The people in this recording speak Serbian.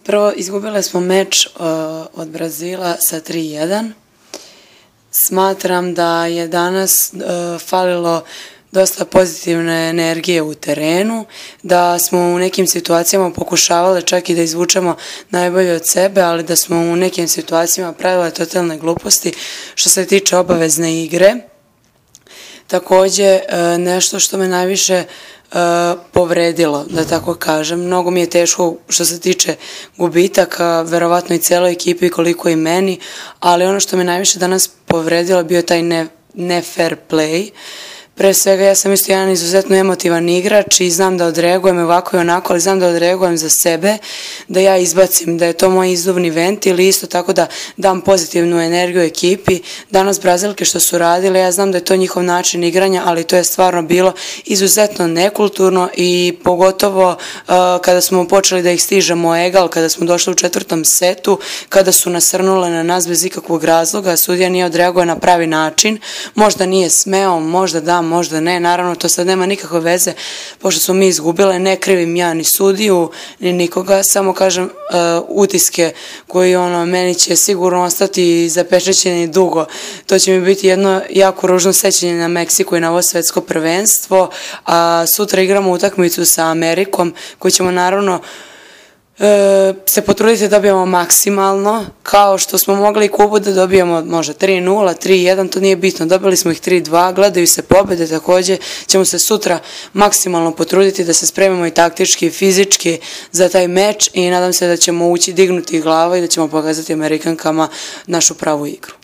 Prvo, izgubile smo meč od Brazila sa 3:1. Smatram da je danas falilo dosta pozitivne energije u terenu, da smo u nekim situacijama pokušavali čak i da izvučemo najbolje od sebe, ali da smo u nekim situacijama pravile totalne gluposti što se tiče obavezne igre. Takođe, nešto što me najviše povredilo, da tako kažem. Mnogo mi je teško što se tiče gubitaka, verovatno i celoj ekipi koliko i meni, ali ono što me najviše danas povredilo bio taj ne fair play. Pre svega ja sam isto jedan izuzetno emotivan igrač i znam da odreagujem ovako i onako, ali znam da odreagujem za sebe, da ja izbacim, da je to moj izduvni ventil i isto tako da dam pozitivnu energiju ekipi. Danas Brazilke što su radile, ja znam da je to njihov način igranja, ali to je stvarno bilo izuzetno nekulturno i pogotovo kada smo počeli da ih stižemo egal, kada smo došli u četvrtom setu, kada su nasrnule na nas bez ikakvog razloga, sudija nije odreagovao na pravi način, možda nije smeo, možda da, možda ne, naravno to sad nema nikakve veze, pošto smo mi izgubile, ne krivim ja ni sudiju, ni nikoga, samo kažem utiske koji meni će sigurno ostati zapečaćeni dugo. To će mi biti jedno jako ružno sećanje na Meksiku i na ovo svetsko prvenstvo, a sutra igramo utakmicu sa Amerikom koju ćemo naravno se potruditi da dobijemo maksimalno, kao što smo mogli i Kubu da dobijemo možda 3:0, 3:1, to nije bitno, dobili smo ih 3:2, gledaju se pobede, takođe ćemo se sutra maksimalno potruditi da se spremimo i taktički i fizički za taj meč i nadam se da ćemo ući dignuti glava i da ćemo pokazati Amerikankama našu pravu igru.